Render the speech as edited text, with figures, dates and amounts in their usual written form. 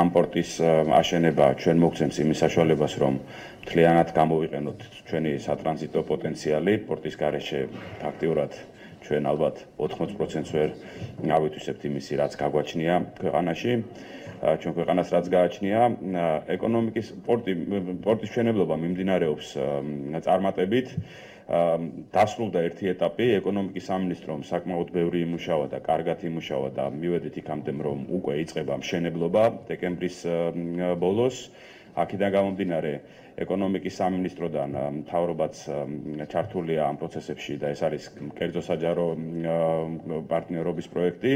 ამ პორტის აშენება ჩვენ მოგცემს იმის საშუალებას, რომ მთლიანად გამოვიყენოთ ჩვენი სატრანზიტო პოტენციალი პორტის გარეშე ფაქტიურად ჩვენ ალბათ 80%-ს ვერ ავითვისებთ იმისი, რაც გაგვაჩნია ქვეყანაში. ჩვენ ქვეყანას რაც გააჩნია, ეკონომიკის პორტის მშენებლობა მიმდინარეობს წარმატებით. დასრულდა ერთი ეტაპი, ეკონომიკის სამინისტრომ საკმაოდ ბევრი იმუშავა და კარგად იმუშავა და მივედით იქამდე, რომ უკვე იწყება მშენებლობა დეკემბრის ბოლოს. აქედან გამომდინარე, ეკონომიკის სამინისტროდან მთავრობაც ჩართულია ამ პროცესებში და ეს არის კერძო საჯარო პარტნიორობის პროექტი.